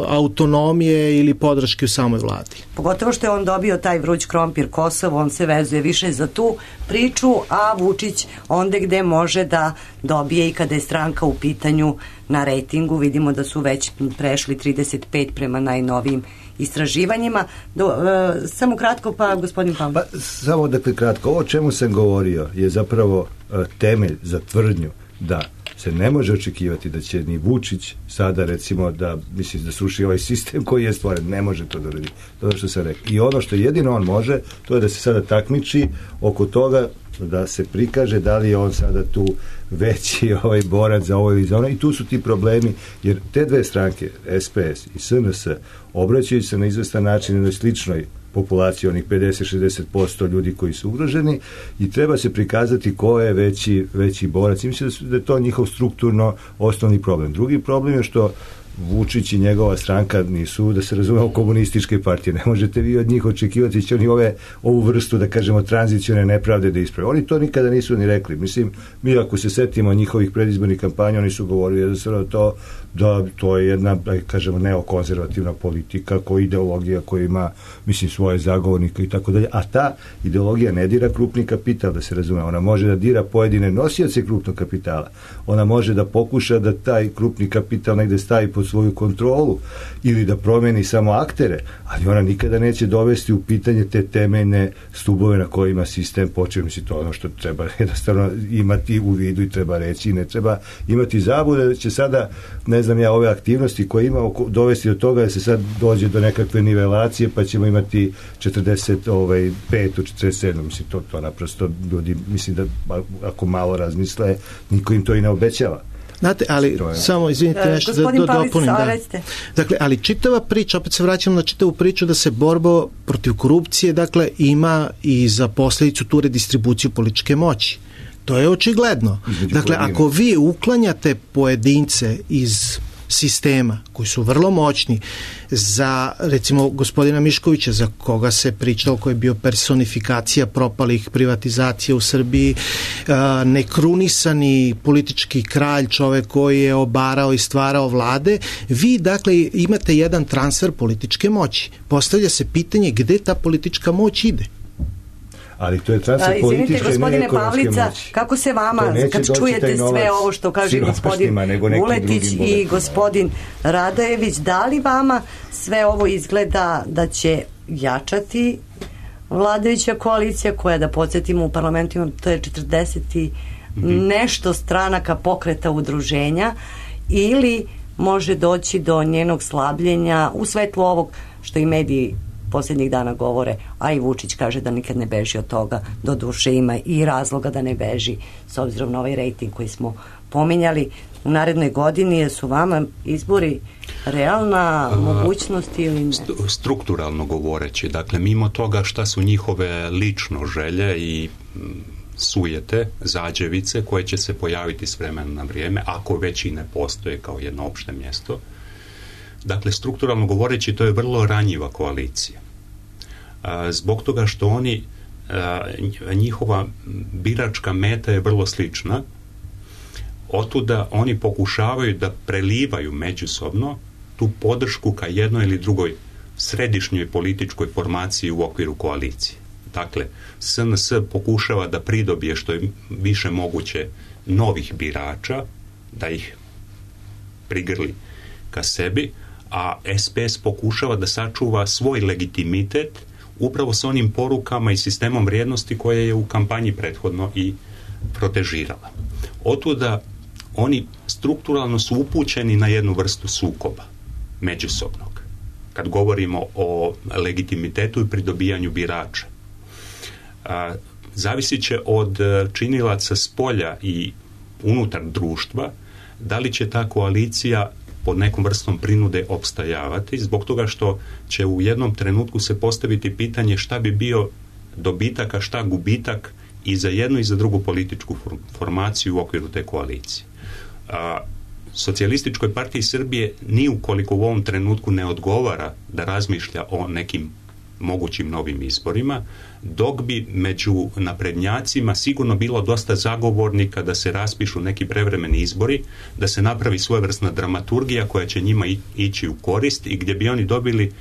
autonomije ili podrške u samoj vladi. Pogotovo što je on dobio taj vruć krompir Kosovo, on se vezuje više za tu priču, a Vučić onda gde može da dobije i kada je stranka u pitanju na rejtingu. Vidimo da su već prešli 35 prema najnovijim istraživanjima. Samo kratko, pa gospodin Pam. Pa, samo dakle kratko, ovo o čemu sam govorio je zapravo temelj za tvrdnju da se ne može očekivati da će ni Vučić sada, recimo, da sruši ovaj sistem koji je stvoren. Ne može to da uradi. To je što sam rekao. I ono što jedino on može, to je da se sada takmiči oko toga, da se prikaže da li je on sada tu veći borac za ovo ili za ono. I tu su ti problemi, jer te dve stranke, SPS i SNS, obraćaju se na izvestan način jednoj sličnoj populaciji, onih 50-60% ljudi koji su ugroženi, i treba se prikazati ko je veći borac. I mislim da je to njihov strukturno osnovni problem. Drugi problem je što Vučić i njegova stranka nisu, da se razumemo, komunističke partije. Ne možete vi od njih očekivati će oni ovu vrstu, da kažemo, tranzicione nepravde da isprave. Oni to nikada nisu ni rekli. Mislim, mi ako se setimo njihovih predizbornih kampanja, oni su govorili jednostavno da to je jedna, da kažemo, neokonzervativna politika, koja ideologija koja ima, mislim, svoje zagovornike i tako dalje. A ta ideologija ne dira krupni kapital, da se razume. Ona može da dira pojedine nosioce krupnog kapitala. Ona može da pokuša da taj krupni kapital negde stavi pod svoju kontrolu ili da promeni samo aktere, ali ona nikada neće dovesti u pitanje te temeljne stubove na kojima sistem počeo. Mislim, to ono što treba jednostavno imati u vidu i treba reći, i ne treba imati zabude da će sada, ne znam ja, ove aktivnosti koje imamo dovesti do toga da se sad dođe do nekakve nivelacije, pa ćemo imati 45 u 47. Mislim, to naprosto ljudi, mislim da ako malo razmisle, niko im to i ne obećava. Znate, ali samo, izvinite, nešto da dopunim. Dakle, ali čitava priča, opet se vraćam na čitavu priču da se borba protiv korupcije, dakle, ima i za posljedicu tu redistribuciju političke moći. To je očigledno. Dakle, ako vi uklanjate pojedince iz sistema koji su vrlo moćni, za recimo gospodina Miškovića, za koga se pričalo, koji je bio personifikacija propalih privatizacija u Srbiji, nekrunisani politički kralj, čovek koji je obarao i stvarao vlade, vi dakle imate jedan transfer političke moći. Postavlja se pitanje gde ta politička moć ide. Ali to je transfer političke i ne ekonomske moći. Kako se vama, kad čujete sve ovo što kaže gospodin Vuletić i gospodin Radojević, da li vama sve ovo izgleda da će jačati vladajuća koalicija koja, da podsjetimo, u parlamentu ima, to je 40 i nešto stranaka, pokreta, udruženja, ili može doći do njenog slabljenja u svetlu ovog što i mediji posljednjih dana govore, a i Vučić kaže da nikad ne beži od toga, do duše ima i razloga da ne beži s obzirom na ovaj rejting koji smo pominjali. U narednoj godini su vama izbori realna mogućnost ili ne? Strukturalno govoreći, dakle mimo toga šta su njihove lično želje i sujete, zađevice koje će se pojaviti s vremena na vrijeme, ako već i ne postoje kao jedno opšte mjesto. Dakle, strukturalno govoreći, to je vrlo ranjiva koalicija. Zbog toga što oni, njihova biračka meta je vrlo slična, otuda oni pokušavaju da prelivaju međusobno tu podršku ka jednoj ili drugoj središnjoj političkoj formaciji u okviru koalicije. Dakle, SNS pokušava da pridobije što je više moguće novih birača, da ih prigrli ka sebi, a SPS pokušava da sačuva svoj legitimitet upravo sa onim porukama i sistemom vrijednosti koje je u kampanji prethodno i protežirala. Otuda oni strukturalno su upućeni na jednu vrstu sukoba međusobnog, kad govorimo o legitimitetu i pridobijanju birača. Zavisit će od činilaca spolja i unutar društva da li će ta koalicija pod nekom vrstom prinude opstajavati, zbog toga što će u jednom trenutku se postaviti pitanje šta bi bio dobitak, a šta gubitak i za jednu i za drugu političku formaciju u okviru te koalicije. Socijalističkoj partiji Srbije ni ukoliko u ovom trenutku ne odgovara da razmišlja o nekim mogućim novim izborima, dok bi među naprednjacima sigurno bilo dosta zagovornika da se raspišu neki prevremeni izbori, da se napravi svojevrsna dramaturgija koja će njima ići u korist i gdje bi oni dobili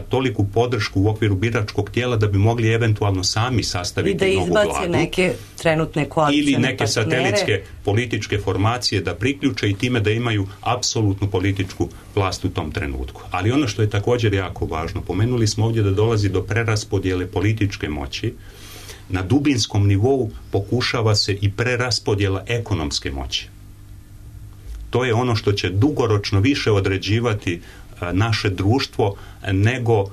toliku podršku u okviru biračkog tijela da bi mogli eventualno sami sastaviti novu vladu. I da izbace neke trenutne koalicije ili neke satelitske političke formacije da priključe i time da imaju apsolutnu političku vlast u tom trenutku. Ali ono što je također jako važno, pomenuli smo ovdje da dolazi do preraspodjele političke moći. Na dubinskom nivou pokušava se i preraspodjela ekonomske moći. To je ono što će dugoročno više određivati naše društvo nego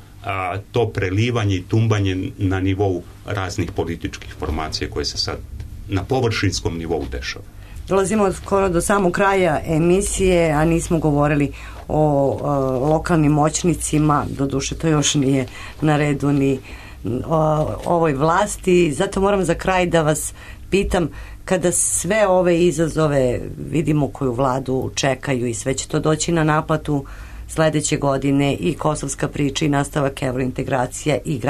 to prelivanje i tumbanje na nivou raznih političkih formacija koje se sad na površinskom nivou dešava. Dolazimo skoro do samog kraja emisije, a nismo govorili o lokalnim moćnicima, doduše to još nije na redu ni ovoj vlasti, zato moram za kraj da vas pitam, kada sve ove izazove vidimo koju vladu čekaju i sve će to doći na naplatu sledeće godine, i kosovska priča i nastavak evrointegracija, i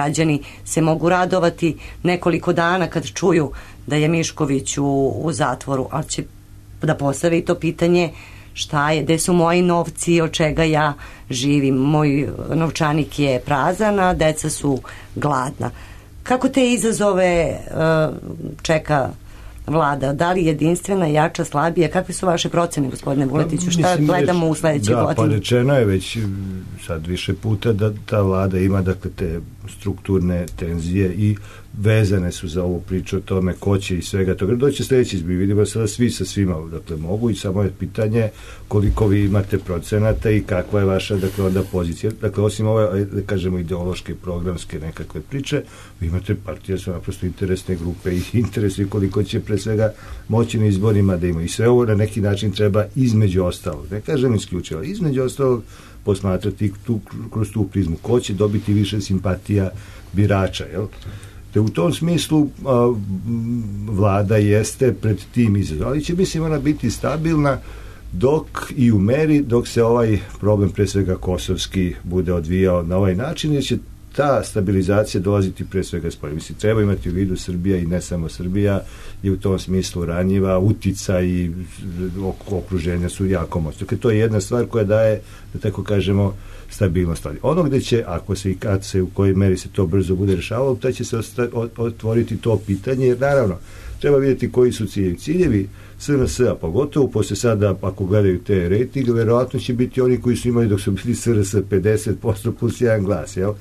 se mogu radovati nekoliko dana kad čuju da je Mišković u zatvoru, ali će da postave i to pitanje šta je, gde su moji novci, od čega ja živim, moj novčanik je prazan, a deca su gladna. Kako te izazove čeka vlada? Da li jedinstvena, jača, slabija? Kakve su vaše procene, gospodine Vuletiću? Šta gledamo u sledećoj godini? Pa rečeno je već sad više puta da ta vlada ima, dakle, te strukturne tenzije i vezane su za ovu priču o tome ko će i svega toga. Doće sledeći izbor, vidimo sada svi sa svima, dakle, mogu, i samo je pitanje koliko vi imate procenata i kakva je vaša, dakle, onda pozicija. Dakle, osim ove, da kažemo, ideološke, programske nekakve priče, vi imate partije, su naprosto interesne grupe i interesi koliko će pre svega moći na izborima da ima. I sve ovo na neki način treba između ostalog, ne kažem isključivo, između ostalog posmatrati kroz tu prizmu. Ko će dobiti više simpatija birača, jel? Te u tom smislu vlada jeste pred tim izazovom, ali će, mislim, ona biti stabilna dok i u meri dok se ovaj problem, pre svega kosovski, bude odvijao na ovaj način, jer će ta stabilizacija dolaziti pre svega spolja. Mislim, treba imati u vidu Srbija i ne samo Srbija je u tom smislu ranjiva, utica i okruženja su jako moćne. Dakle, to je jedna stvar koja daje, da tako kažemo, stabilnost. Ono gde će, ako se i kad se, u kojoj meri se to brzo bude rešavalo, taj će se otvoriti to pitanje, jer naravno, treba vidjeti koji su ciljevi. Ciljevi SNS-a, pogotovo posle sada, ako gledaju te rejtinge, verovatno će biti oni koji su imali dok su bili SNS 50% plus jedan glas, jel?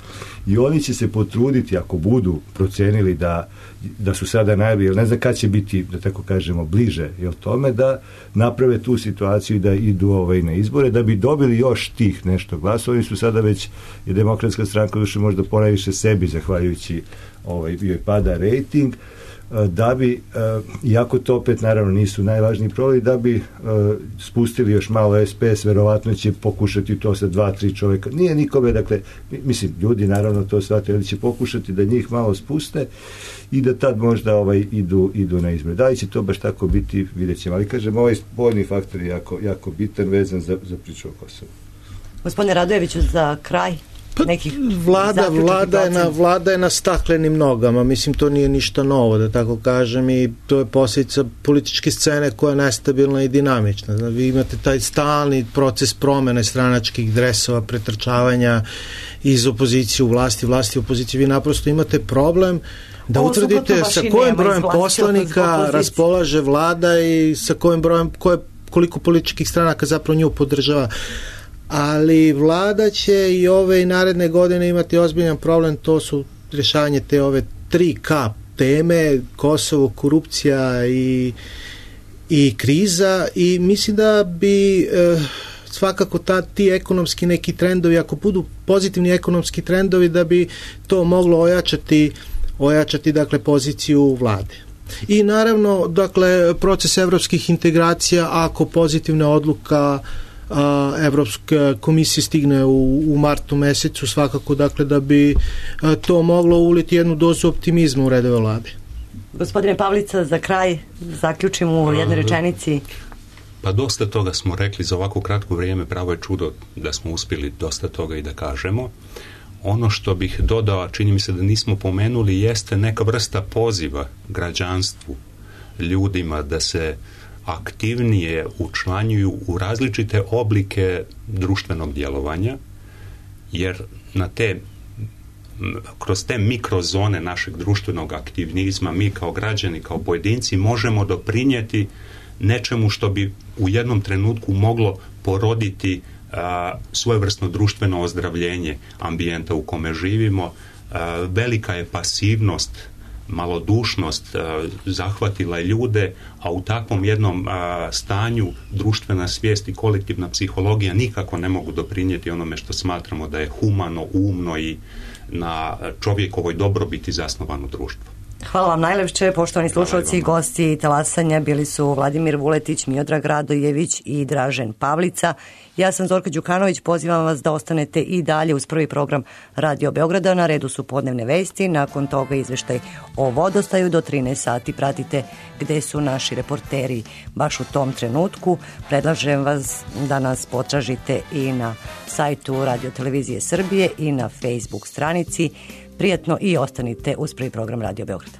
I oni će se potruditi, ako budu procenili da su sada najbolji, jer ne znam kad će biti, da tako kažemo, bliže, jel, tome, da naprave tu situaciju i da idu na izbore, da bi dobili još tih nešto glasa. Oni su sada već, je Demokratska stranka duše možda ponajviše sebi, zahvaljujući joj pada rejting, da bi, iako to opet naravno nisu najvažniji problem, da bi spustili još malo SPS, verovatno će pokušati to sa 2-3 čoveka. Nije nikome, dakle, mislim, ljudi naravno to shvate, ali će pokušati da njih malo spuste i da tad možda idu na izbore. Da li će to baš tako biti, vidjet ćemo. Ali kažem, ovaj spoljni faktor je jako bitan, vezan za priču o Kosovu. Gospodine Radojeviću, za kraj nekih Vlada je na staklenim nogama, mislim, to nije ništa novo, da tako kažem, i to je posljedica političke scene koja je nestabilna i dinamična. Znači, vi imate taj stalni proces promene stranačkih dresova, pretrčavanja iz opozicije u vlasti u opoziciji. Vi naprosto imate problem da utvrdite sa kojim brojem poslanika raspolaže Vlada i sa kojim brojem, koliko političkih stranaka zapravo nju podržava. Ali Vlada će i ove i naredne godine imati ozbiljan problem, to su rješavanje te ove 3K teme, Kosovo, korupcija i kriza, i mislim da bi svakako ti ekonomski neki trendovi, ako budu pozitivni ekonomski trendovi, da bi to moglo ojačati dakle poziciju Vlade. I naravno, dakle, proces evropskih integracija, ako pozitivna odluka Evropska komisija stigne u martu mesecu, svakako, dakle, da bi to moglo uliti jednu dozu optimizma u redove Vlade. Gospodine Pavlica, za kraj zaključimo u jednoj rečenici. Pa dosta toga smo rekli za ovako kratko vrijeme, pravo je čudo da smo uspjeli dosta toga i da kažemo. Ono što bih dodao, čini mi se da nismo pomenuli, jeste neka vrsta poziva građanstvu, ljudima da se aktivnije učlanjuju u različite oblike društvenog djelovanja, jer kroz te mikrozone našeg društvenog aktivizma mi kao građani, kao pojedinci možemo doprinijeti nečemu što bi u jednom trenutku moglo poroditi svojevrsno društveno ozdravljenje ambijenta u kome živimo. Velika je pasivnost, malodušnost zahvatila ljude, a u takvom jednom stanju društvena svijest i kolektivna psihologija nikako ne mogu doprinijeti onome što smatramo da je humano, umno i na čovjekovoj dobrobiti zasnovano društvo. Hvala vam najlepše, poštovani slušalci. Gosti talasanja bili su Vladimir Vuletić, Miodrag Radojević i Dražen Pavlica. Ja sam Zorka Đukanović, pozivam vas da ostanete i dalje uz prvi program Radio Beograda. Na redu su podnevne vesti, nakon toga izveštaj o vodostaju. Do 13 sati pratite gde su naši reporteri baš u tom trenutku. Predlažem vas da nas potražite i na sajtu Radio Televizije Srbije i na Facebook stranici. Prijatno i ostanite uz prvi program Radio Beograda.